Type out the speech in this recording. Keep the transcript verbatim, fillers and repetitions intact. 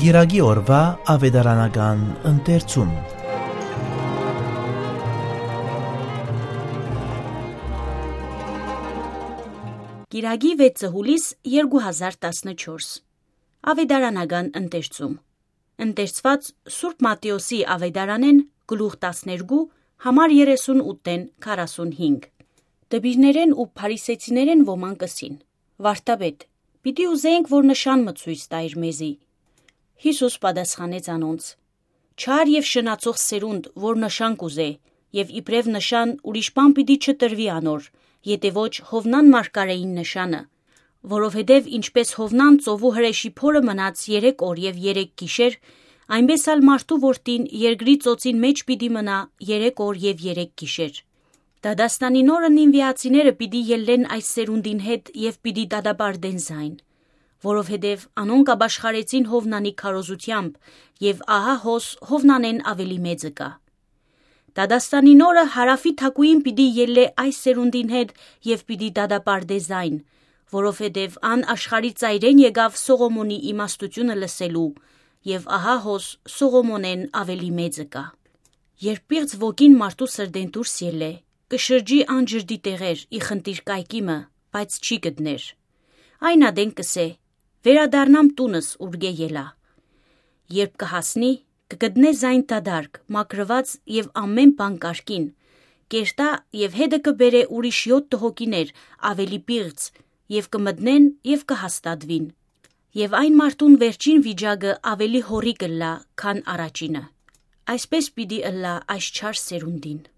Կիրակի օրուայ աւետարանական ընթերցում։ Կիրակի վեցը հուլիս երկու հազար տասնչորս։ Աւետարանական ընթերցում։ Ընթերցուած Սուրբ Մատթէոսի աւետարանէն գլուխ տասներկու, համար երեսուն ութ-ն քառասուն հինգ։ Դպիրներէն ու փարիսեցիներէն ոմանք ըսին. «Վարդապետ, պիտի ուզենք որ նշան մը ցոյց տայր մեզի»։ Յիսուս պատասխանեց անոնց. «Չար եւ շնացող սերունդ, որ նշան կ'ուզէ, եւ իբրեւ նշան ուրիշ բան պիտի չտրուի անոր, եթէ ոչ Յովնան մարգարէին նշանը, որովհետեւ ինչպէս Յովնան ծովու հրեշի փորը մնաց երեք օր եւ երեք գիշեր, այնպէս ալ մարդու որդին երկրի ծոցին մէջ պիտի մնայ երեք օր եւ երեք գիշեր։ Դատաստանին օրը նինուիացիները պիտի ելլեն այս սերունդին հետ եւ պիտի դատապարտեն զայն, որովհետեւ անոնք ապաշխարեցին Յովնանի քարոզութեամբ, եւ ահա հոս Յովնանէն աւելի մեծը կայ։ Դատաստանին օրը հարաւի թագուհին պիտի ելլէ այս սերունդին հետ եւ պիտի դատապարտէ զայն, որովհետեւ ան աշխարհի ծայրէն եկաւ Սողոմոնի իմաստութիւնը լսելու, եւ ահա հոս Սողոմոնէն աւելի մեծը կայ։ Երբ պիղծ ոգին մարդու սրտէն դուրս ելլէ, կը շրջի անջրդի տեղեր՝ ի խնդիր կայքի մը, բայց չի գտներ։ Այն ատեն կ'ըսէ. "Վերադառնամ տունս, ուրկէ ելայ"։ Երբ կը հասնի, կը գտնէ զայն դատարկ, մաքրուած եւ ամէն բան կարգին, կ'երթայ եւ հետը կը բերէ ուրիշ յոթ հոգիներ, աւելի պիղծ, եւ կը մտնեն եւ կը հաստատուին։ Եւ այն մարդուն վերջին վիճակը աւելի յոռի կ'ըլլայ, քան առաջինը։ Այսպէս պիտի ըլլայ այս չար սերունդին։